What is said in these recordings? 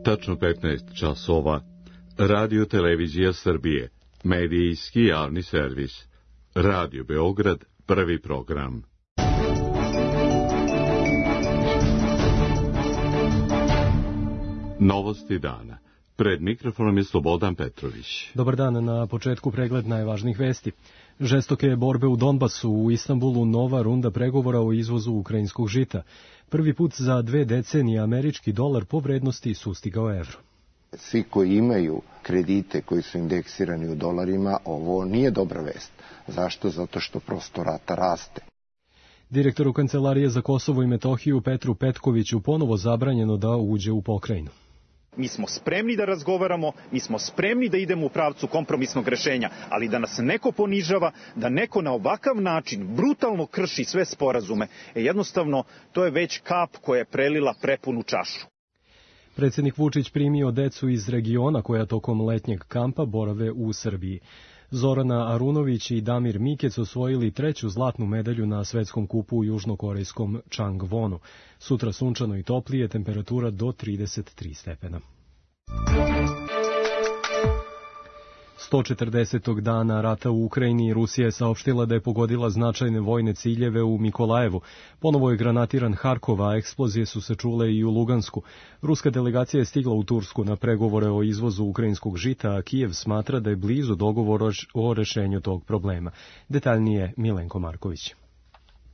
Tačno 15 časova. Radio Televizija Srbije. Medijski javni servis. Radio Beograd, prvi program. Novosti dana. Pred mikrofonom je Slobodan Petrović. Dobar dan, na početku pregled najvažnijih vesti. Žestoke borbe u Donbasu, u Istanbulu nova runda pregovora o izvozu ukrajinskog žita. Prvi put za 2 decenije američki dolar po vrednosti sustigao evro. Svi koji imaju kredite koji su indeksirani u dolarima, ovo nije dobra vest. Zašto? Zato što prosto rata raste. Direktoru Kancelarije za Kosovo i Metohiju Petru Petkoviću ponovo zabranjeno da uđe u pokrajinu. Mi smo spremni da razgovaramo, mi smo spremni da idemo u pravcu kompromisnog rešenja, ali da nas neko ponižava, da neko na ovakav način brutalno krši sve sporazume, jednostavno to je već kap koja je prelila prepunu čašu. Predsjednik Vučić primio decu iz regiona koja tokom letnjeg kampa borave u Srbiji. Zorana Arunović i Damir Mikec osvojili 3. zlatnu medalju na svetskom kupu u južnokorejskom Changwonu. Sutra sunčano i toplije, temperatura do 33 stepena. 140. dana rata u Ukrajini Rusija je saopštila da je pogodila značajne vojne ciljeve u Mikolajevu. Ponovo je granatiran Harkov, a eksplozije su se čule i u Lugansku. Ruska delegacija je stigla u Tursku na pregovore o izvozu ukrajinskog žita, a Kijev smatra da je blizu dogovor o rešenju tog problema. Detaljnije Milenko Marković.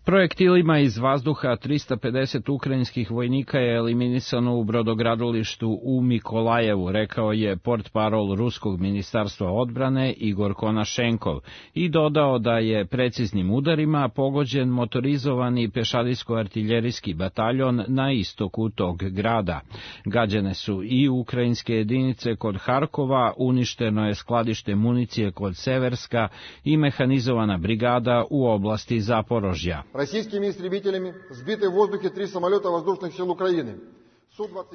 Projektilima iz vazduha 350 ukrajinskih vojnika je eliminisano u brodogradilištu u Mikolajevu, rekao je portparol Ruskog ministarstva odbrane Igor Konašenkov i dodao da je preciznim udarima pogođen motorizovani pešadijsko-artiljerijski bataljon na istoku tog grada. Gađane su i ukrajinske jedinice kod Harkova, uništeno je skladište municije kod Severska i mehanizovana brigada u oblasti Zaporožja. Российскими истребителями сбиты в воздухе 3 самолета воздушных сил Украины.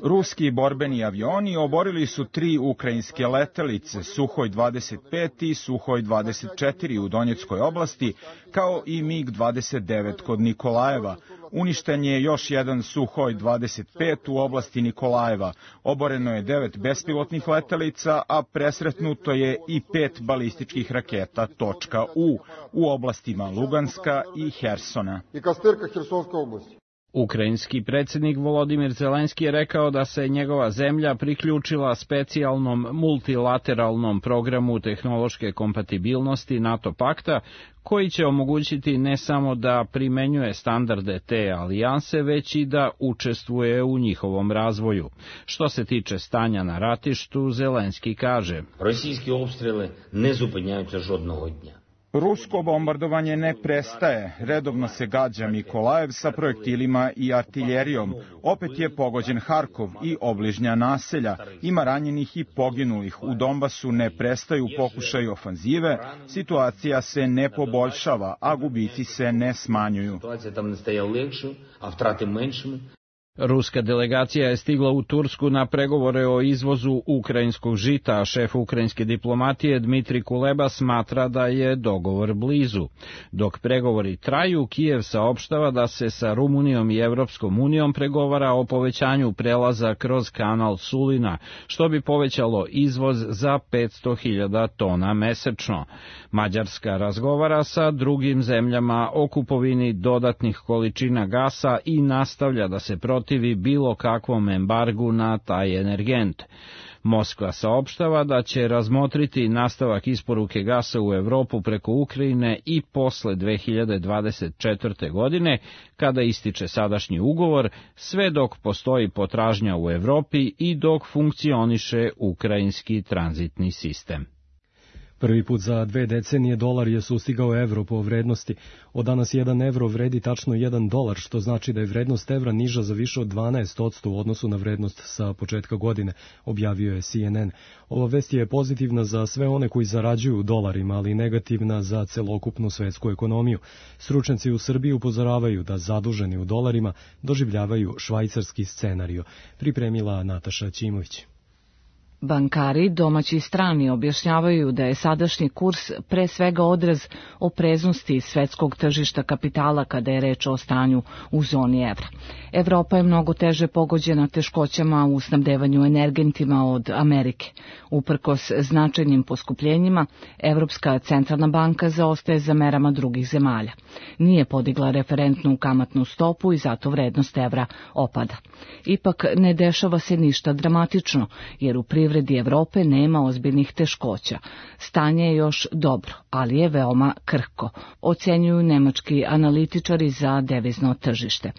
Ruski borbeni avioni oborili su 3 ukrajinske letelice, Suhoj 25 i Suhoj 24 u Donjeckoj oblasti, kao i MiG-29 kod Nikolajeva. Uništen je još jedan Suhoj 25 u oblasti Nikolajeva. Oboreno je 9 bespilotnih letelica, a presretnuto je i 5 balističkih raketa .U u oblastima Luganska i Hersona. I Kastirka Hersonska oblasti. Ukrajinski predsjednik Volodimir Zelenski je rekao da se njegova zemlja priključila specijalnom multilateralnom programu tehnološke kompatibilnosti NATO pakta, koji će omogućiti ne samo da primenjuje standarde te alijanse, već i da učestvuje u njihovom razvoju. Što se tiče stanja na ratištu, Zelenski kaže: Rosijski obstrele ne zupinjаються жодного dня. Rusko bombardovanje ne prestaje, redovno se gađa Mikolajev sa projektilima i artiljerijom. Opet je pogođen Harkov i obližnja naselja. Ima ranjenih i poginulih. U Donbasu ne prestaju pokušaji ofanzive, situacija se ne poboljšava, a gubici se ne smanjuju. Ruska delegacija je stigla u Tursku na pregovore o izvozu ukrajinskog žita, a šef ukrajinske diplomatije Dmitri Kuleba smatra da je dogovor blizu. Dok pregovori traju, Kijev saopštava da se sa Rumunijom i Evropskom unijom pregovara o povećanju prelaza kroz kanal Sulina, što bi povećalo izvoz za 500.000 tona mesečno. Mađarska razgovara sa drugim zemljama o kupovini dodatnih količina gasa i nastavlja da se protivi bilo kakvom embargu na taj energent. Moskva saopštava da će razmotriti nastavak isporuke gasa u Evropu preko Ukrajine i posle 2024. godine, kada ističe sadašnji ugovor, sve dok postoji potražnja u Evropi i dok funkcioniše ukrajinski tranzitni sistem. Prvi put za 2 decenije dolar je sustigao evro po vrednosti. Od danas 1 evro vredi tačno $1, što znači da je vrednost evra niža za više od 12% u odnosu na vrednost sa početka godine, objavio je CNN. Ova vest je pozitivna za sve one koji zarađuju u dolarima, ali negativna za celokupnu svetsku ekonomiju. Stručnjaci u Srbiji upozoravaju da zaduženi u dolarima doživljavaju švajcarski scenario. Pripremila Nataša Ćimović. Bankari, domaći i strani, objašnjavaju da je sadašnji kurs pre svega odraz opreznosti svetskog tržišta kapitala kada je reč o stanju u zoni evra. Evropa je mnogo teže pogođena teškoćama u snabdevanju energentima od Amerike. Uprkos značajnim poskupljenjima, Evropska centralna banka zaostaje za merama drugih zemalja. Nije podigla referentnu kamatnu stopu i zato vrednost evra opada. Ipak ne dešava se ništa dramatično, jer u privredi Evrope nema ozbiljnih teškoća. Stanje je još dobro, ali je veoma krhko, ocenjuju nemački analitičari za devizno tržište.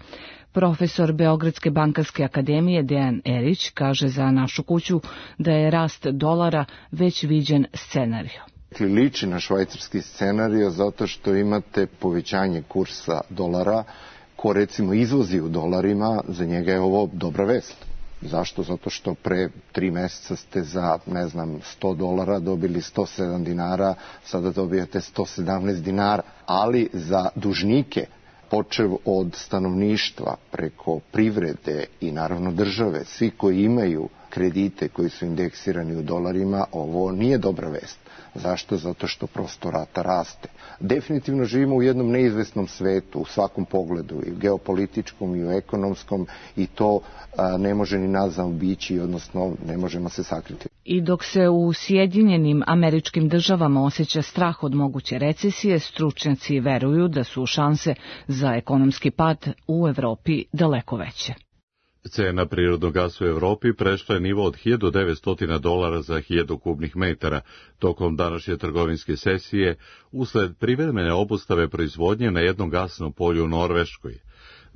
Profesor Beogradske bankarske akademije Dejan Erić kaže za Našu kuću da je rast dolara već viđen scenario. Liči na švajcarski scenario zato što imate povećanje kursa dolara. Ko recimo izvozi u dolarima, za njega je ovo dobra vest. Zašto? Zato što pre 3 meseca ste za, $100 dobili 107 dinara, sada dobijate 117 dinara. Ali za dužnike, počev od stanovništva, preko privrede i naravno države, svi koji imaju kredite koji su indeksirani u dolarima, ovo nije dobra vest. Zašto? Zato što prosto rata raste. Definitivno živimo u jednom neizvesnom svetu, u svakom pogledu, i u geopolitičkom i u ekonomskom, i to ne može ni nas zaobići, odnosno ne možemo se sakriti. I dok se u Sjedinjenim Američkim Državama osjeća strah od moguće recesije, stručnjaci veruju da su šanse za ekonomski pad u Evropi daleko veće. Cena prirodnog gasa u Evropi prešla je nivo od $1.900 za 1000 kubnih metara tokom današnje trgovinske sesije usled privremene obustave proizvodnje na jednom gasnom polju u Norveškoj.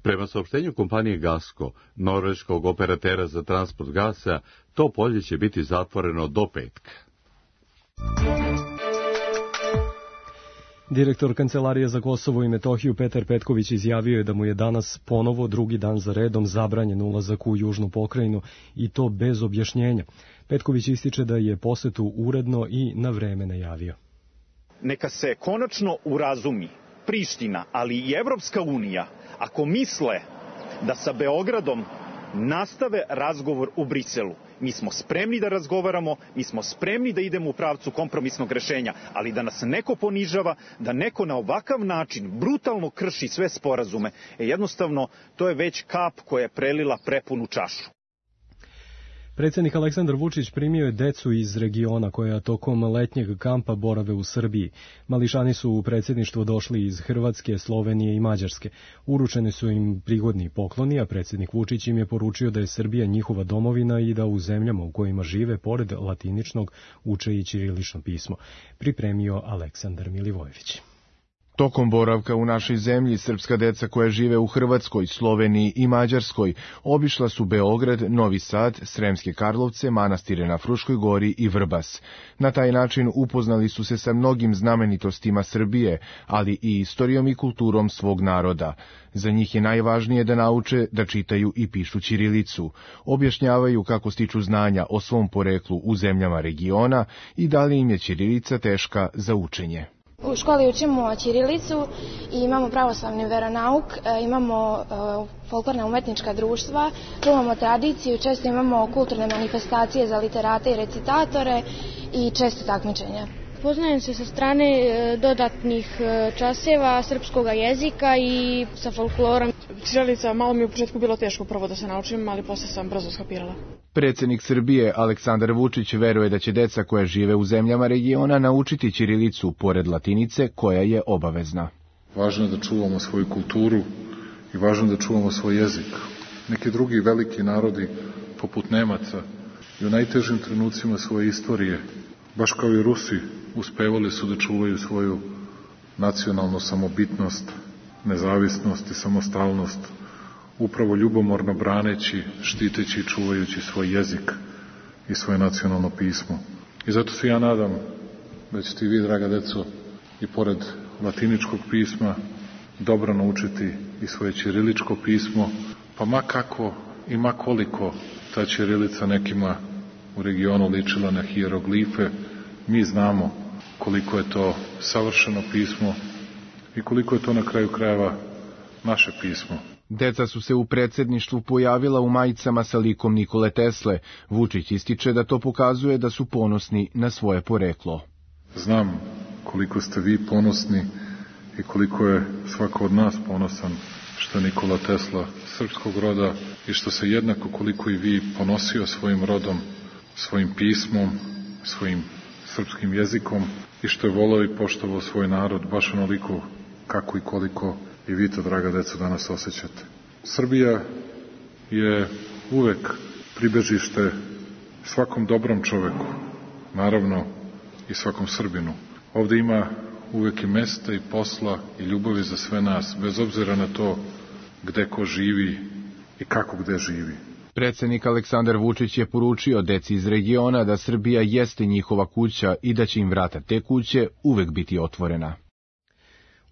Prema saopštenju kompanije Gasko, norveškog operatera za transport gasa, to polje će biti zatvoreno do petka. Direktor Kancelarije za Kosovo i Metohiju Petar Petković izjavio je da mu je danas ponovo drugi dan za redom zabranjen ulazak u južnu pokrajinu i to bez objašnjenja. Petković ističe da je posetu uredno i na vreme najavio. Neka se konačno urazumi Priština, ali i Evropska unija, ako misle da sa Beogradom nastave razgovor u Briselu. Mi smo spremni da razgovaramo, mi smo spremni da idemo u pravcu kompromisnog rešenja, ali da nas neko ponižava, da neko na ovakav način brutalno krši sve sporazume, jednostavno to je već kap koja je prelila prepunu čašu. Predsjednik Aleksandar Vučić primio je decu iz regiona koja tokom letnjeg kampa borave u Srbiji. Mališani su u predsjedništvo došli iz Hrvatske, Slovenije i Mađarske. Uručeni su im prigodni pokloni, a predsjednik Vučić im je poručio da je Srbija njihova domovina i da u zemljama u kojima žive, pored latiničnog, uče i ćirilično pismo. Pripremio Aleksandar Milivojević. Tokom boravka u našoj zemlji, srpska deca koja žive u Hrvatskoj, Sloveniji i Mađarskoj obišla su Beograd, Novi Sad, Sremske Karlovce, manastire na Fruškoj gori i Vrbas. Na taj način upoznali su se sa mnogim znamenitostima Srbije, ali i istorijom i kulturom svog naroda. Za njih je najvažnije da nauče da čitaju i pišu ćirilicu. Objašnjavaju kako stiču znanja o svom poreklu u zemljama regiona i da li im je ćirilica teška za učenje. U školi učimo ćirilicu i imamo pravoslavni veronauk, imamo folklorna umetnička društva, čuvamo tradiciju, često imamo kulturne manifestacije za literate i recitatore i često takmičenja. Poznajem se sa strane dodatnih časeva srpskog jezika i sa folklorom. Ćirilica malo mi u početku bilo teško prvo da se naučim, ali posle sam brzo skapirala. Predsjednik Srbije Aleksandar Vučić veruje da će deca koja žive u zemljama regiona naučiti ćirilicu pored latinice koja je obavezna. Važno je da čuvamo svoju kulturu i važno je da čuvamo svoj jezik. Neki drugi veliki narodi, poput Nemaca, i u najtežim trenucima svoje istorije, baš kao i Rusi, uspevali su da čuvaju svoju nacionalnu samobitnost, nezavisnost i samostalnost, upravo ljubomorno braneći, štiteći i čuvajući svoj jezik i svoje nacionalno pismo. I zato se ja nadam da ćete i vi, draga deco, i pored latiničkog pisma dobro naučiti i svoje ćiriličko pismo, pa ma kako i ma koliko ta ćirilica nekima u regionu ličila na hijeroglife, mi znamo koliko je to savršeno pismo i koliko je to na kraju krajeva naše pismo. Deca su se u predsjedništvu pojavila u majicama sa likom Nikole Tesle. Vučić ističe da to pokazuje da su ponosni na svoje poreklo. Znam koliko ste vi ponosni i koliko je svako od nas ponosan što je Nikola Tesla srpskog roda i što se jednako koliko i vi ponosio svojim rodom, svojim pismom, svojim srpskim jezikom i što je voleo i poštovao svoj narod baš onoliko kako i koliko i vi to, draga deco, danas osjećate. Srbija je uvek pribežište svakom dobrom čoveku, naravno i svakom Srbinu. Ovde ima uvek i mesta i posla i ljubavi za sve nas, bez obzira na to gde ko živi i kako gde živi. Predsednik Aleksandar Vučić je poručio deci iz regiona da Srbija jeste njihova kuća i da će im vrata te kuće uvek biti otvorena.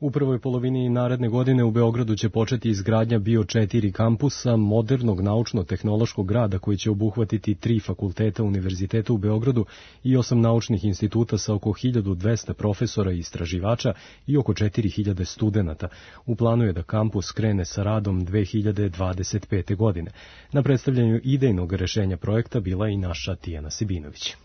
U prvoj polovini naredne godine u Beogradu će početi izgradnja bio 4 kampusa modernog naučno-tehnološkog grada koji će obuhvatiti 3 fakulteta univerziteta u Beogradu i 8 naučnih instituta sa oko 1200 profesora i istraživača i oko 4000 studenata. U planu je da kampus krene sa radom 2025. godine. Na predstavljanju idejnog rešenja projekta bila i naša Tijana Sibinović.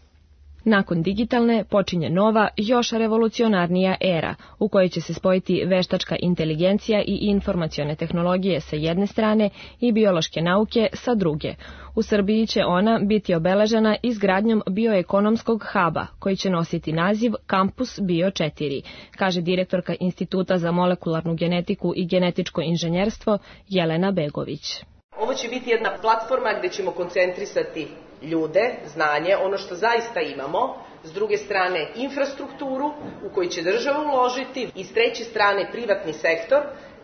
Nakon digitalne počinje nova, još revolucionarnija era, u kojoj će se spojiti veštačka inteligencija i informacione tehnologije sa jedne strane i biološke nauke sa druge. U Srbiji će ona biti obeležena izgradnjom bioekonomskog huba, koji će nositi naziv Kampus Bio 4, kaže direktorka Instituta za molekularnu genetiku i genetičko inženjerstvo Jelena Begović. Ovo će biti jedna platforma gde ćemo koncentrisati ljude, znanje, ono što zaista imamo, s druge strane infrastrukturu u koju će država uložiti i s treće strane privatni sektor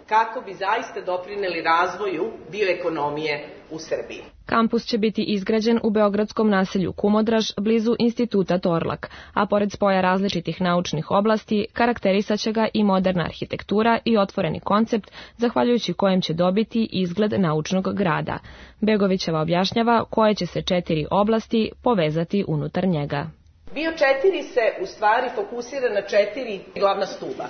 kako bi zaista doprineli razvoju bioekonomije u Srbiji. Kampus će biti izgrađen u beogradskom naselju Kumodraž, blizu Instituta Torlak, a pored spoja različitih naučnih oblasti, karakterisaće ga i moderna arhitektura i otvoreni koncept, zahvaljujući kojem će dobiti izgled naučnog grada. Begovićeva objašnjava koje će se 4 oblasti povezati unutar njega. Bio 4 se u stvari fokusira na 4 glavna stuba.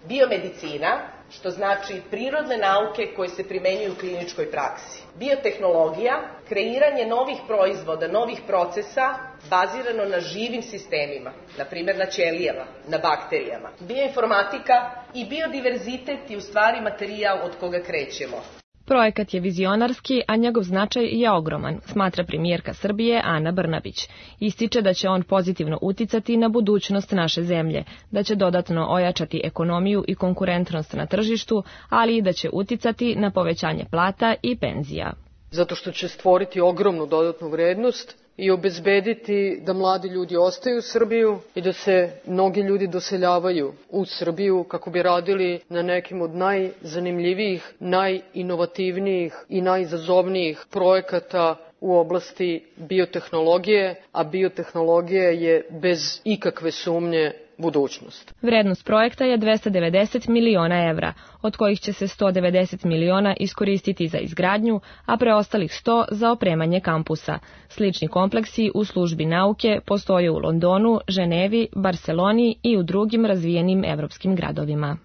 Biomedicina, što znači prirodne nauke koje se primenjuju u kliničkoj praksi. Biotehnologija, kreiranje novih proizvoda, novih procesa, bazirano na živim sistemima, na primjer na ćelijama, na bakterijama. Bioinformatika i biodiverzitet je u stvari materijal od koga krećemo. Projekat je vizionarski, a njegov značaj je ogroman, smatra premijerka Srbije Ana Brnabić. Ističe da će on pozitivno uticati na budućnost naše zemlje, da će dodatno ojačati ekonomiju i konkurentnost na tržištu, ali i da će uticati na povećanje plata i penzija. Zato što će stvoriti ogromnu dodatnu vrednost i obezbediti da mladi ljudi ostaju u Srbiju i da se mnogi ljudi doseljavaju u Srbiju kako bi radili na nekim od najzanimljivijih, najinovativnijih i najizazovnijih projekata u oblasti biotehnologije, a biotehnologija je bez ikakve sumnje budućnost. Vrednost projekta je 290 miliona evra, od kojih će se 190 miliona iskoristiti za izgradnju, a preostalih 100 za opremanje kampusa. Slični kompleksi u službi nauke postoje u Londonu, Ženevi, Barseloni i u drugim razvijenim evropskim gradovima.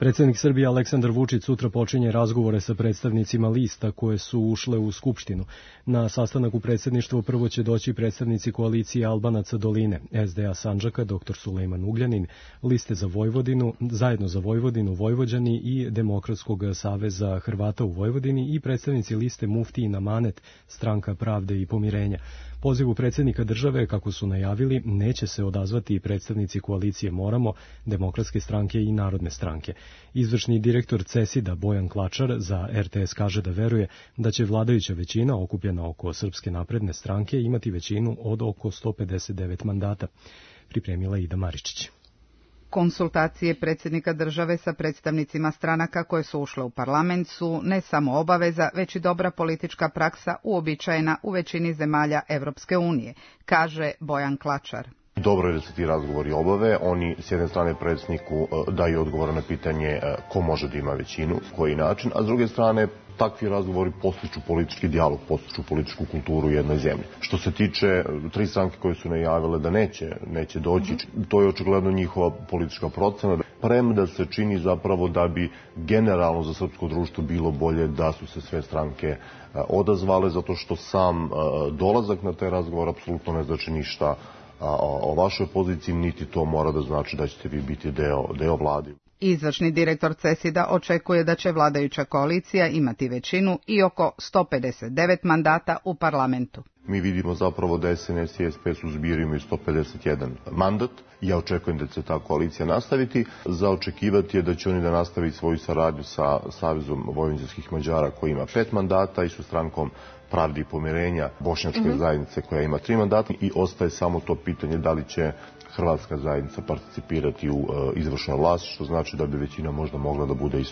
Predsjednik Srbije Aleksandar Vučić sutra počinje razgovore sa predstavnicima lista koje su ušle u Skupštinu. Na sastanak u predsjedništvu prvo će doći predstavnici koalicije Albanaca Doline, SDA Sandžaka, dr. Sulejman Ugljanin, liste za Vojvodinu, zajedno za Vojvodinu, Vojvođani i Demokratskog saveza Hrvata u Vojvodini i predstavnici liste Muftijin Amanet, Stranka pravde i pomirenja. Pozivu predsjednika države, kako su najavili, neće se odazvati i predstavnici koalicije Moramo, Demokratske stranke i Narodne stranke. Izvršni direktor CESID-a Bojan Klačar za RTS kaže da veruje da će vladajuća većina okupljena oko Srpske napredne stranke imati većinu od oko 159 mandata. Pripremila Ida Maričić. Konsultacije predsjednika države sa predstavnicima stranaka koje su ušle u parlament su ne samo obaveza, već i dobra politička praksa uobičajena u većini zemalja Evropske unije, kaže Bojan Klačar. Dobro je da se ti razgovori obave, oni s jedne strane predsjedniku daju odgovor na pitanje ko može da ima većinu, koji način, a s druge strane takvi razgovori postiču politički dijalog, postiču političku kulturu u jednoj zemlji. Što se tiče 3 stranke koje su najavile da neće doći, to je očigledno njihova politička procena. premda se čini zapravo da bi generalno za srpsko društvo bilo bolje da su se sve stranke odazvale, zato što sam dolazak na taj razgovor apsolutno ne znači ništa o vašoj poziciji, niti to mora da znači da ćete vi biti deo vlade. Izvršni direktor CESID-a očekuje da će vladajuća koalicija imati većinu i oko 159 mandata u parlamentu. Mi vidimo zapravo da SNS i SPS u zbiru imaju 151 mandat. Ja očekujem da će ta koalicija nastaviti. Za očekivati je da će oni da nastavi svoju saradnju sa Savezom vojvođanskih Mađara koji ima 5 mandata i sa strankom Pravde i pomirenja bošnjačke zajednice koja ima 3 mandata i ostaje samo to pitanje da li će hrvatska zajednica participirati u izvršnoj vlasti, što znači da bi većina možda mogla da bude i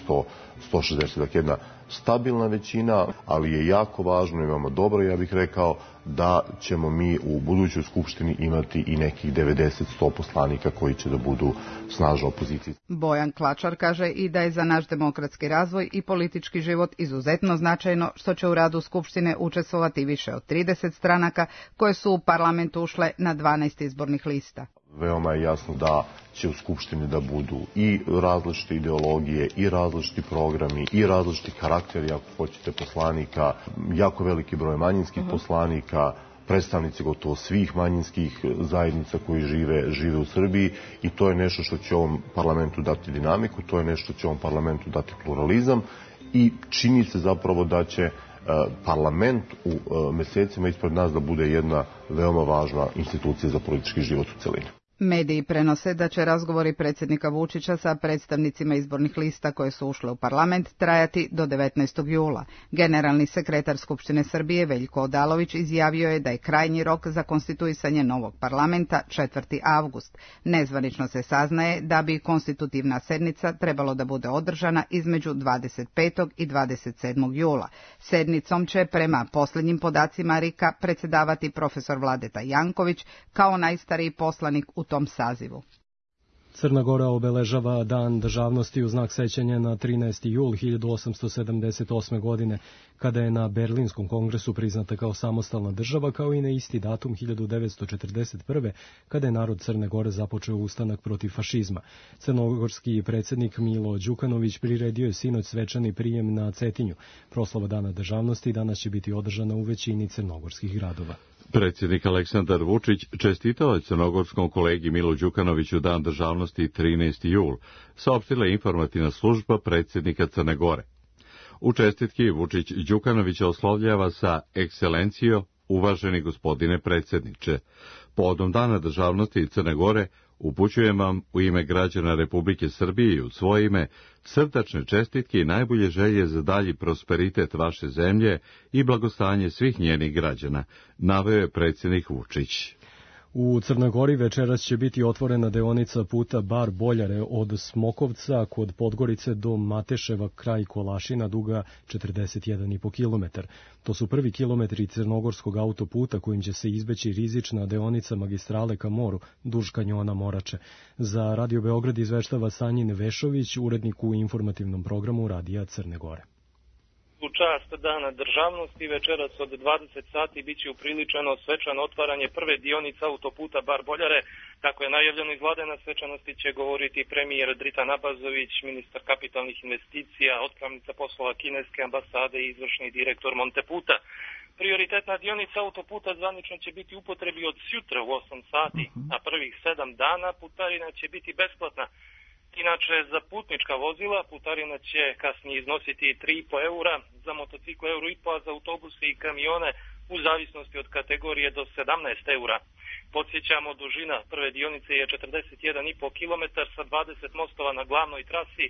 160, dakle jedna stabilna većina, ali je jako važno, imamo dobro, ja bih rekao, da ćemo mi u budućoj skupštini imati i nekih 90-100 poslanika koji će da budu snažna opozicija. Bojan Klačar kaže i da je za naš demokratski razvoj i politički život izuzetno značajno što će u radu skupštine učestvovati više od 30 stranaka koje su u parlament ušle na 12 izbornih lista. Veoma je jasno da će u skupštini da budu i različite ideologije, i različiti programi, i različiti karakteri, ako hoćete, poslanika, jako veliki broj manjinskih poslanika, predstavnici gotovo svih manjinskih zajednica koji žive u Srbiji i to je nešto što će ovom parlamentu dati dinamiku, to je nešto što će ovom parlamentu dati pluralizam i čini se zapravo da će parlament u mesecima ispred nas da bude jedna veoma važna institucija za politički život u celini. Mediji prenose da će razgovori predsjednika Vučića sa predstavnicima izbornih lista koje su ušle u parlament trajati do 19. jula. Generalni sekretar Skupštine Srbije Veljko Odalović izjavio je da je krajnji rok za konstituisanje novog parlamenta 4. avgust. Nezvanično se saznaje da bi konstitutivna sednica trebalo da bude održana između 25. i 27. jula. Sednicom će prema posljednjim podacima RIK-a predsjedavati profesor Vladeta Janković kao najstariji poslanik u tom sazivu. Crna Gora obeležava Dan državnosti u znak sećanja na 13. jul 1878. godine, kada je na Berlinskom kongresu priznata kao samostalna država, kao i na isti datum 1941. kada je narod Crne Gore započeo ustanak protiv fašizma. Crnogorski predsjednik Milo Đukanović priredio je sinoć svečani prijem na Cetinju. Proslava Dana državnosti danas će biti održana u većini crnogorskih gradova. Predsjednik Aleksandar Vučić čestitao je crnogorskom kolegi Milu Đukanoviću Dan državnosti 13. jul, saopštila je informativna služba predsjednika Crne Gore. U čestitki Vučić Đukanovića oslovljava sa ekscelencijo, uvaženi gospodine predsjedniče. Povodom Dana državnosti Crne Gore upućujem vam u ime građana Republike Srbije i u svoje ime srdačne čestitke i najbolje želje za dalji prosperitet vaše zemlje i blagostanje svih njenih građana, naveo je predsjednik Vučić. U Crnoj Gori večeras će biti otvorena deonica puta Bar Boljare od Smokovca kod Podgorice do Mateševa kraj Kolašina duga 41,5 km. To su prvi kilometri crnogorskog autoputa kojim će se izbeći rizična deonica magistrale ka moru duž kanjona Morače. Za Radio Beograd izveštava Sanjin Vešović, urednik u informativnom programu Radija Crne Gore. U čast Dana državnosti večeras od 20 sati biće upriličeno svečano otvaranje prve dionice autoputa Bar Boljare. Kako je najavljeno iz vlade, na svečanosti će govoriti premijer Dritan Abazović, ministar kapitalnih investicija, otpravnica poslova kineske ambasade i izvršni direktor Monteputa. Prioritetna dionica autoputa zvanično će biti u upotrebi od sjutra u 8 sati, a prvih 7 dana putarina će biti besplatna. Inače, za putnička vozila putarina će kasnije iznositi 3,5 eura, za motocikle euro i po, a za autobuse i kamione u zavisnosti od kategorije do 17 eura. Podsjećamo, dužina prve dionice je 41,5 km sa 20 mostova na glavnoj trasi,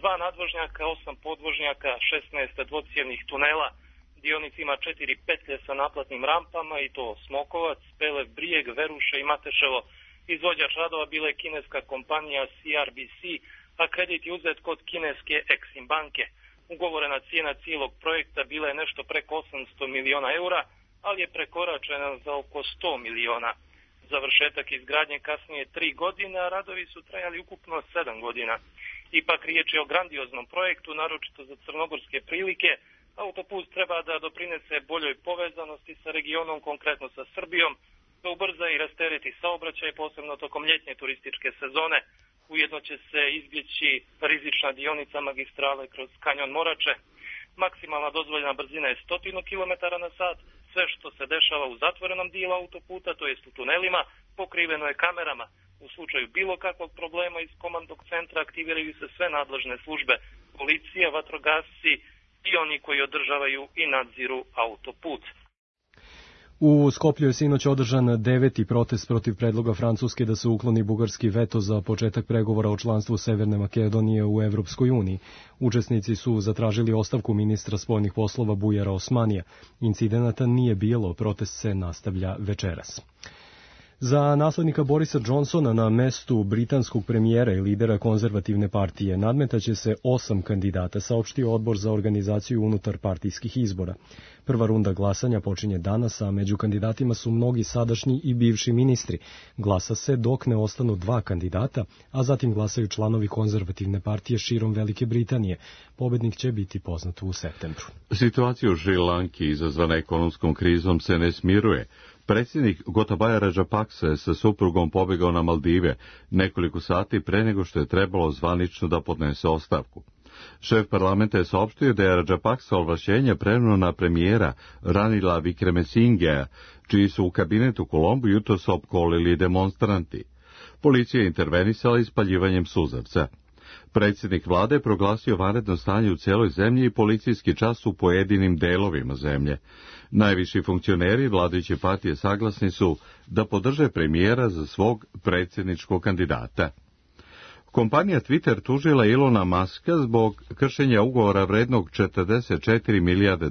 2 nadvožnjaka, 8 podvožnjaka, 16 dvocijenih tunela. Dionica ima 4 petlje sa naplatnim rampama i to Smokovac, Pelev Brijeg, Veruše i Mateševo. Izvođač radova bila je kineska kompanija CRBC, a kredit je uzet kod kineske Exim banke. Ugovorena cijena cijelog projekta bila je nešto preko 800 miliona eura, ali je prekoračena za oko 100 miliona. Završetak izgradnje kasnije 3 godine, a radovi su trajali ukupno 7 godina. Ipak riječ je o grandioznom projektu, naročito za crnogorske prilike. Autoput treba da doprinese boljoj povezanosti sa regionom, konkretno sa Srbijom, da ubrza i rastereti saobraćaj, posebno tokom ljetnje turističke sezone. Ujedno će se izbjeći rizična dionica magistrale kroz kanjon Morače. Maksimalna dozvoljena brzina je 100 km na sat. Sve što se dešava u zatvorenom dijelu autoputa, to jest u tunelima, pokriveno je kamerama. U slučaju bilo kakvog problema iz komandnog centra aktiviraju se sve nadležne službe, policija, vatrogasci i oni koji održavaju i nadziru autoput. U Skoplju je sinoć održan 9. protest protiv predloga Francuske da se ukloni bugarski veto za početak pregovora o članstvu Severne Makedonije u Evropskoj uniji. Učesnici su zatražili ostavku ministra spoljnih poslova Bujara Osmanija. Incidenata nije bilo, protest se nastavlja večeras. Za naslednika Borisa Johnsona na mestu britanskog premijera i lidera konzervativne partije nadmetaće se 8 kandidata, saopštio odbor za organizaciju unutar partijskih izbora. Prva runda glasanja počinje danas, a među kandidatima su mnogi sadašnji i bivši ministri. Glasa se dok ne ostanu 2 kandidata, a zatim glasaju članovi konzervativne partije širom Velike Britanije. Pobednik će biti poznat u septembru. Situacija u Šri Lanki izazvana ekonomskom krizom se ne smiruje. Predsjednik Gotabaya Rajapaksa je sa suprugom pobegao na Maldive nekoliko sati pre nego što je trebalo zvanično da podnese ostavku. Šef parlamenta je saopštio da je Rajapaksa ovlašćenje preneo na premijera Ranila Wickremesingheja, čiji su u kabinetu Kolombu jutros opkolili demonstranti. Policija je intervenisala ispaljivanjem suzavca. Predsjednik vlade je proglasio vanredno stanje u cijeloj zemlji i policijski čas u pojedinim delovima zemlje. Najviši funkcioneri vladajuće partije saglasni su da podrže premijera za svog predsjedničkog kandidata. Kompanija Twitter tužila Ilona Muska zbog kršenja ugovora vrednog $44 milijarde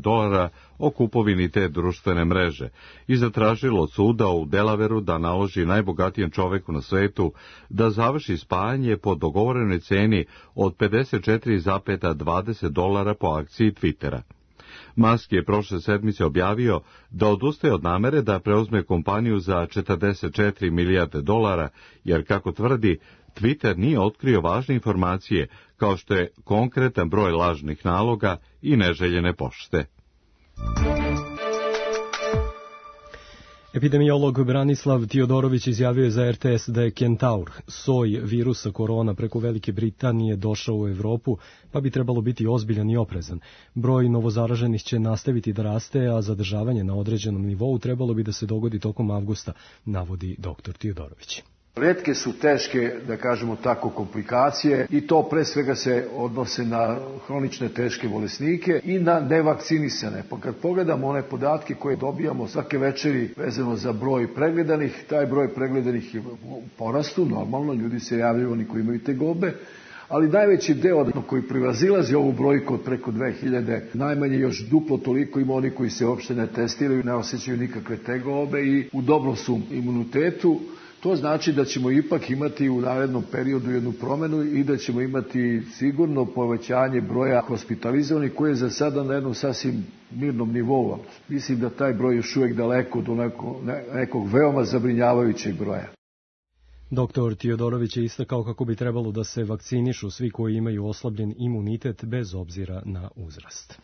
o kupovini te društvene mreže i zatražilo od suda u Delaveru da naloži najbogatijem čoveku na svetu da završi spajanje po dogovorenoj ceni od $54,20 po akciji Twittera. Musk je prošle sedmice objavio da odustaje od namere da preuzme kompaniju za $44 milijarde, jer, kako tvrdi, Twitter nije otkrio važne informacije, kao što je konkretan broj lažnih naloga i neželjene pošte. Epidemiolog Branislav Tiodorović izjavio je za RTS da je Kentaur, soj virusa korona preko Velike Britanije, došao u Evropu, pa bi trebalo biti ozbiljan i oprezan. Broj novozaraženih će nastaviti da raste, a zadržavanje na određenom nivou trebalo bi da se dogodi tokom avgusta, navodi dr. Tiodorović. Retke su teške, da kažemo tako, komplikacije i to pre svega se odnose na hronične teške bolesnike i na nevakcinisane. Pa kad pogledamo one podatke koje dobijamo svake večeri vezano za broj pregledanih, taj broj pregledanih je u porastu, normalno, ljudi se javljaju, oni koji imaju tegobe, ali najveći deo koji prevazilazi ovu brojku od preko 2000, najmanje još duplo toliko ima oni koji se uopšte ne testiraju, ne osjećaju nikakve tegobe i u dobrom su imunitetu. To znači da ćemo ipak imati u narednom periodu jednu promenu i da ćemo imati sigurno povećanje broja hospitalizovanih koji je za sada na jednom sasvim mirnom nivou. Mislim da taj broj još uvijek daleko do nekog veoma zabrinjavajućeg broja. Dr. Tiodorović je istakao kako bi trebalo da se vakcinišu svi koji imaju oslabljen imunitet bez obzira na uzrast.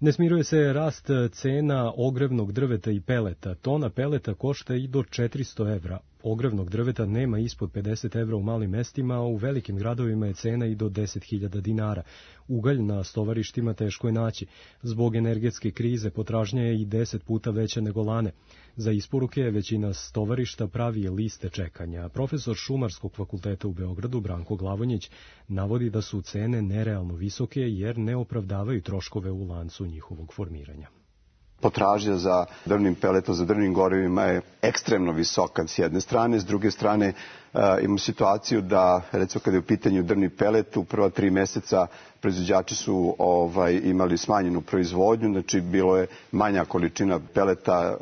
Ne smiruje se rast cena ogrevnog drveta i peleta. Tona peleta košta i do 400 evra. Ogrevnog drveta nema ispod 50 evra u malim mestima, a u velikim gradovima je cena i do 10.000 dinara. Ugalj na stovarištima teško je naći. Zbog energetske krize potražnja je i 10 puta veća nego lane. Za isporuke većina stovarišta pravi liste čekanja. Profesor Šumarskog fakulteta u Beogradu, Branko Glavonjić, navodi da su cene nerealno visoke jer ne opravdavaju troškove u lancu njihovog formiranja. Potražnja za drvnim peletom, za drvnim gorivima je ekstremno visoka s jedne strane, s druge strane imamo situaciju da, recimo kada je u pitanju drvni pelet, u prva 3 mjeseca proizvođači su imali smanjenu proizvodnju, znači bilo je manja količina peleta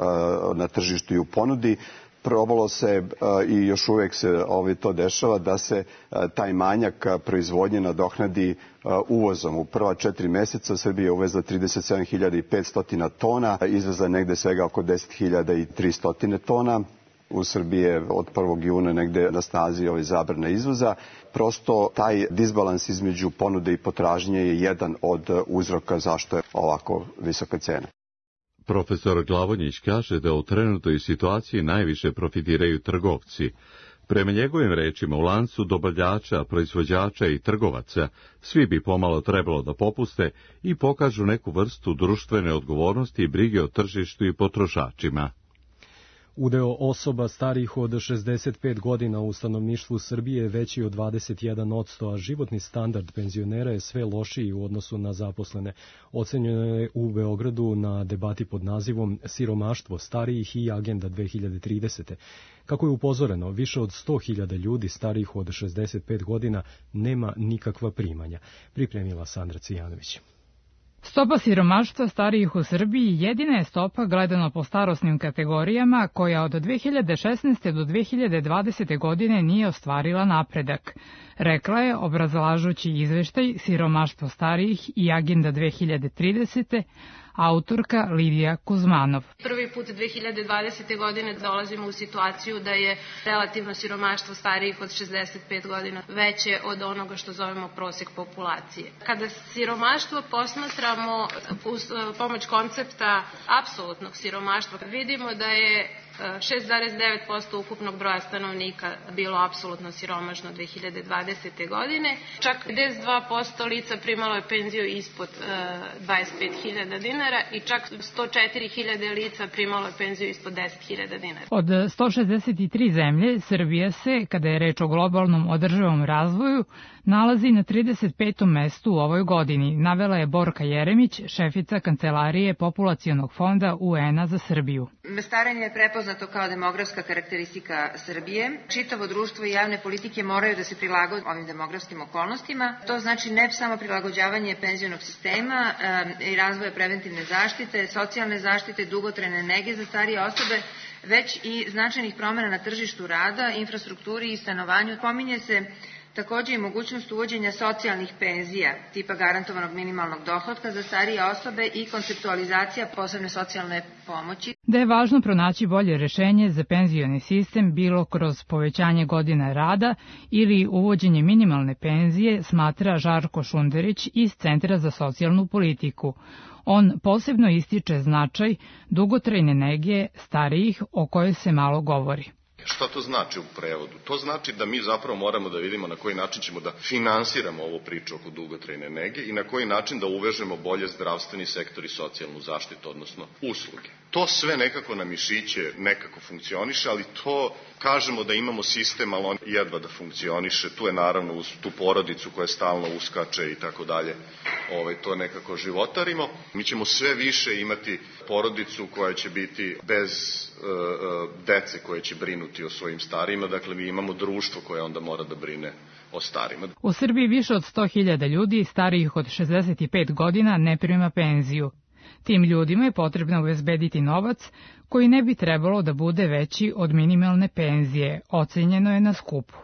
na tržištu i u ponudi. Probalo se i još uvijek se to dešava da se taj manjak proizvodnje nadoknadi uvozom. U prva 4 mjeseca Srbija je uvezla 37.500 tona, izvezla negde svega oko 10.300 tona. U Srbiji je od 1. juna negde na snazi zabrana izvoza. Prosto taj disbalans između ponude i potražnje je jedan od uzroka zašto je ovako visoka cena. Profesor Glavonjić kaže da u trenutnoj situaciji najviše profitiraju trgovci. Prema njegovim rečima, u lancu dobavljača, proizvođača i trgovaca svi bi pomalo trebalo da popuste i pokažu neku vrstu društvene odgovornosti i brige o tržištu i potrošačima. Udeo osoba starijih od 65 godina u stanovništvu Srbije je veći od 21%, a životni standard penzionera je sve lošiji u odnosu na zaposlene. Ocenjeno je u Beogradu na debati pod nazivom Siromaštvo starijih i Agenda 2030. Kako je upozoreno, više od 100.000 ljudi starijih od 65 godina nema nikakva primanja. Pripremila Sandra Cijanović. Stopa siromaštva starijih u Srbiji jedina je stopa gledano po starosnim kategorijama koja od 2016. do 2020. godine nije ostvarila napredak, rekla je obrazlažući izveštaj Siromaštvo starijih i Agenda 2030. autorka Lidija Kuzmanov. Prvi put 2020. godine dolazimo u situaciju da je relativno siromaštvo starijih od 65 godina veće od onoga što zovemo prosek populacije. Kada siromaštvo posmatramo uz pomoć koncepta apsolutnog siromaštva, vidimo da je 6,9% ukupnog broja stanovnika bilo apsolutno siromašno 2020. godine. Čak 52% lica primalo je penziju ispod 25.000 dinara i čak 104.000 lica primalo je penziju ispod 10.000 dinara. Od 163 zemlje, Srbija se, kada je reč o globalnom održivom razvoju, nalazi na 35. mestu u ovoj godini, navela je Borka Jeremić, šefica Kancelarije Populacionog fonda UN-a za Srbiju. Starenje je prepoznato kao demografska karakteristika Srbije. Čitavo društvo i javne politike moraju da se prilagode ovim demografskim okolnostima. To znači ne samo prilagođavanje penzionog sistema i razvoja preventivne zaštite, socijalne zaštite, dugotrajne nege za starije osobe, već i značajnih promjena na tržištu rada, infrastrukturi i stanovanju. Pominje se takođe i mogućnost uvođenja socijalnih penzija, tipa garantovanog minimalnog dohotka za starije osobe i konceptualizacija posebne socijalne pomoći. Da je važno pronaći bolje rešenje za penzioni sistem bilo kroz povećanje godina rada ili uvođenje minimalne penzije, smatra Žarko Šunderić iz Centra za socijalnu politiku. On posebno ističe značaj dugotrajne nege starijih o kojoj se malo govori. Šta to znači u prevodu? To znači da mi zapravo moramo da vidimo na koji način ćemo da finansiramo ovu priču oko dugotrajne nege i na koji način da uvežemo bolje zdravstveni sektor i socijalnu zaštitu, odnosno usluge. To sve nekako na mišiće nekako funkcioniše, ali to kažemo da imamo sistem, ali on jedva da funkcioniše. Tu je naravno uz tu porodicu koja stalno uskače i tako dalje. To nekako životarimo. Mi ćemo sve više imati porodicu koja će biti bez dece koje će brinuti o svojim starijima. Dakle, mi imamo društvo koje onda mora da brine o starima. U Srbiji više od 100.000 ljudi starijih od 65 godina ne prima penziju. Tim ljudima je potrebno obezbediti novac koji ne bi trebalo da bude veći od minimalne penzije, ocenjeno je na skupu.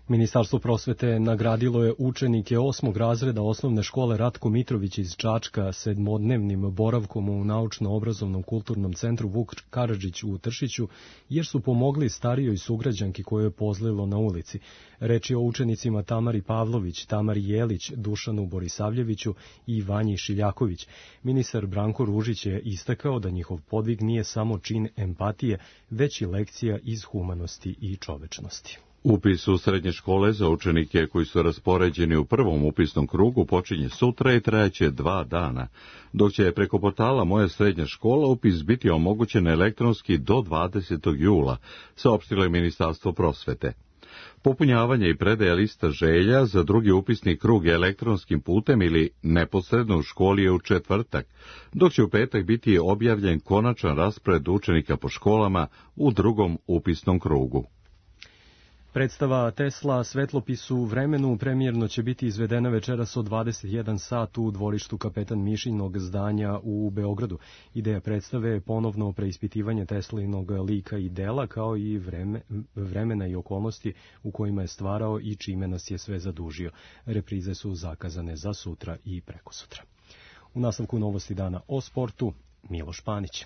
Ministarstvo prosvete nagradilo je učenike 8. razreda osnovne škole Ratko Mitrović iz Čačka 7-dnevnim boravkom u Naučno-obrazovnom kulturnom centru Vuk Karadžić u Tršiću, jer su pomogli starijoj sugrađanki koju je pozlilo na ulici. Reč je o učenicima Tamari Pavlović, Tamari Jelić, Dušanu Borisavljeviću i Vanji Šiljaković. Ministar Branko Ružić je istakao da njihov podvig nije samo čin empatije, već i lekcija iz humanosti i čovečnosti. Upis u srednje škole za učenike koji su raspoređeni u prvom upisnom krugu počinje sutra i trajaće 2 dana, dok će preko portala Moja srednja škola upis biti omogućen elektronski do 20. jula, saopštilo je Ministarstvo prosvete. Popunjavanje i predaja lista želja za drugi upisni krug elektronskim putem ili neposredno u školi je u četvrtak, dok će u petak biti objavljen konačan raspored učenika po školama u drugom upisnom krugu. Predstava Tesla Svetlopis u vremenu premijerno će biti izvedena večeras od 21 sat u dvorištu Kapetan Mišinog zdanja u Beogradu. Ideja predstave je ponovno preispitivanje Teslinog lika i dela, kao i vremena i okolnosti u kojima je stvarao i čime nas je sve zadužio. Reprize su zakazane za sutra i prekosutra. U nastavku novosti dana o sportu, Miloš Panić.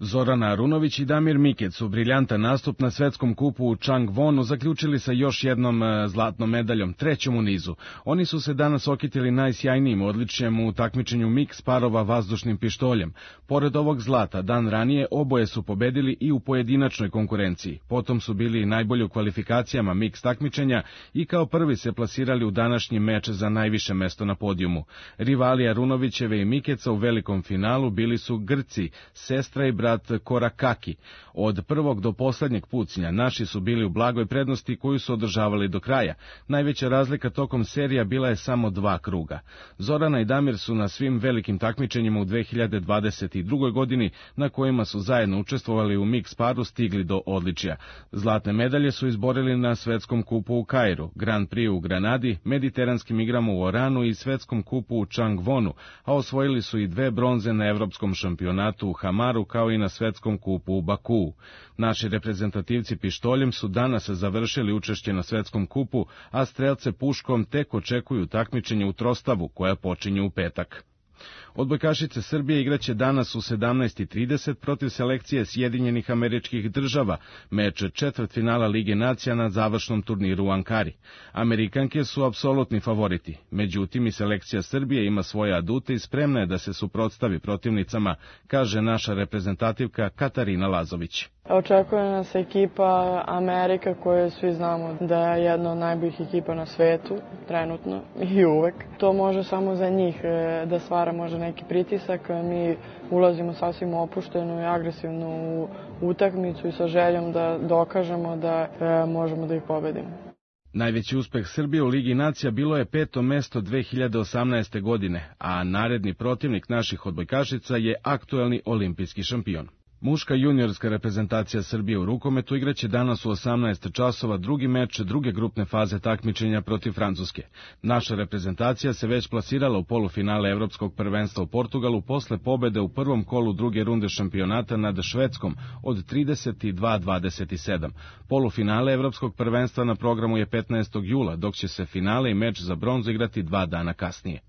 Zorana Arunović i Damir Mikec su briljantan nastup na svetskom kupu u Changwonu zaključili sa još jednom zlatnom medaljom, trećom u nizu. Oni su se danas okitili najsjajnijim odličjem u takmičenju miks parova vazdušnim pištoljem. Pored ovog zlata, dan ranije oboje su pobedili i u pojedinačnoj konkurenciji. Potom su bili najbolji u kvalifikacijama miks takmičenja i kao prvi se plasirali u današnji meč za najviše mesto na podijumu. Rivali Arunovićeve i Mikeca u velikom finalu bili su Grci, sestra i brat Korakaki. Od prvog do poslednjeg pucnja naši su bili u blagoj prednosti koju su održavali do kraja. Najveća razlika tokom serija bila je samo 2 kruga. Zorana i Damir su na svim velikim takmičenjima u 2022. godini, na kojima su zajedno učestvovali u miks paru, stigli do odličja. Zlatne medalje su izborili na svetskom kupu u Kairu, Grand Prix u Granadi, mediteranskim igrama u Oranu i svetskom kupu u Changwonu, a osvojili su i 2 bronze na evropskom šampionatu u Hamaru kao i na svetskom kupu u Bakuu. Naši reprezentativci pištoljem su danas završili učešće na svetskom kupu, a strelce puškom tek očekuju takmičenje u trostavu koja počinje u petak. Odbojkašice Srbije igraće danas u 17:30 protiv selekcije Sjedinjenih Američkih Država, meč četvrtfinala Lige nacija na završnom turniru u Ankari. Amerikanke su apsolutni favoriti, međutim i selekcija Srbije ima svoje adute i spremna je da se suprotstavi protivnicama, kaže naša reprezentativka Katarina Lazović. Očekuje nas ekipa Amerika koju svi znamo da je jedna od najboljih ekipa na svetu, trenutno i uvek. To može samo za njih da stvara možda neki pritisak. Mi ulazimo sasvim opušteno i agresivno u utakmicu i sa željom da dokažemo da možemo da ih pobedimo. Najveći uspeh Srbije u Ligi nacija bilo je 5. mesto 2018. godine, a naredni protivnik naših odbojkašica je aktuelni olimpijski šampion. Muška juniorska reprezentacija Srbije u rukometu igraće danas u 18 časova drugi meč druge grupne faze takmičenja protiv Francuske. Naša reprezentacija se već plasirala u polufinale Evropskog prvenstva u Portugalu posle pobede u prvom kolu druge runde šampionata nad Švedskom od 32-27. Polufinale Evropskog prvenstva na programu je 15. jula, dok će se finale i meč za bronzu igrati 2 dana kasnije.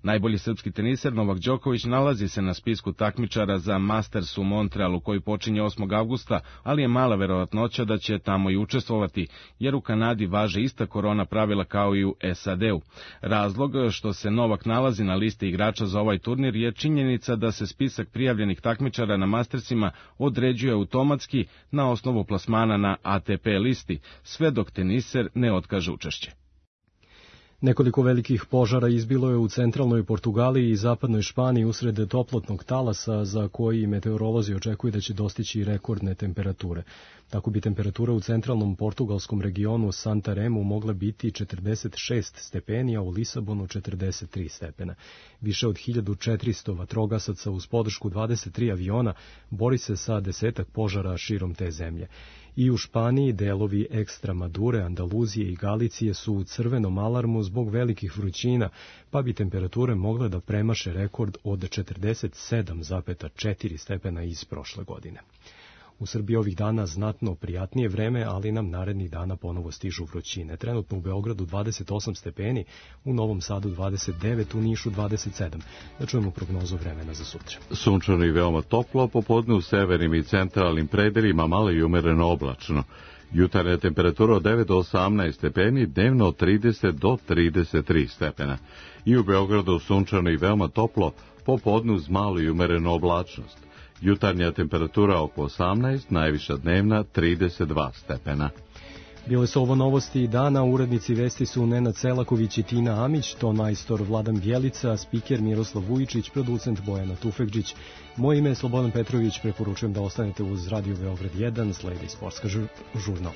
Najbolji srpski teniser Novak Đoković nalazi se na spisku takmičara za Masters u Montrealu koji počinje 8. avgusta, ali je mala verovatnoća da će tamo i učestvovati, jer u Kanadi važe ista korona pravila kao i u SAD-u. Razlog što se Novak nalazi na listi igrača za ovaj turnir je činjenica da se spisak prijavljenih takmičara na Mastersima određuje automatski na osnovu plasmana na ATP listi, sve dok teniser ne otkaže učešće. Nekoliko velikih požara izbilo je u centralnoj Portugaliji i zapadnoj Španiji usred toplotnog talasa za koji meteorolozi očekuju da će dostići rekordne temperature. Tako bi temperatura u centralnom portugalskom regionu Santaremu mogla biti 46 stepeni, a u Lisabonu 43 stepena. Više od 1400 vatrogasaca uz podršku 23 aviona bori se sa 10 požara širom te zemlje. I u Španiji delovi Ekstremadure, Andaluzije i Galicije su u crvenom alarmu zbog velikih vrućina, pa bi temperature mogle da premaše rekord od 47,4 stepena iz prošle godine. U Srbiji ovih dana znatno prijatnije vreme, ali nam narednih dana ponovo stižu vrućine. Trenutno u Beogradu 28 stepeni, u Novom Sadu 29, u Nišu 27. Da čujemo prognozu vremena za sutra. Sunčano i veoma toplo, popodne u severnim i centralnim predelima malo i umereno oblačno. Jutarnja temperatura od 9 do 18 stepeni, dnevno od 30 do 33 stepena. I u Beogradu sunčano i veoma toplo, popodne uz malo i umerenu oblačnost. Jutarnja temperatura oko 18, najviša dnevna 32 stepena. Bile su ovo novosti dana, urednici vesti su Nenad Selaković i Tina Amić, ton majstor Vladan Bjelica, spiker Miroslav Vujičić, producent Bojana Tufekđić. Moje ime je Slobodan Petrović, preporučujem da ostanete uz Radio Beograd 1, sledi sportska žurnal.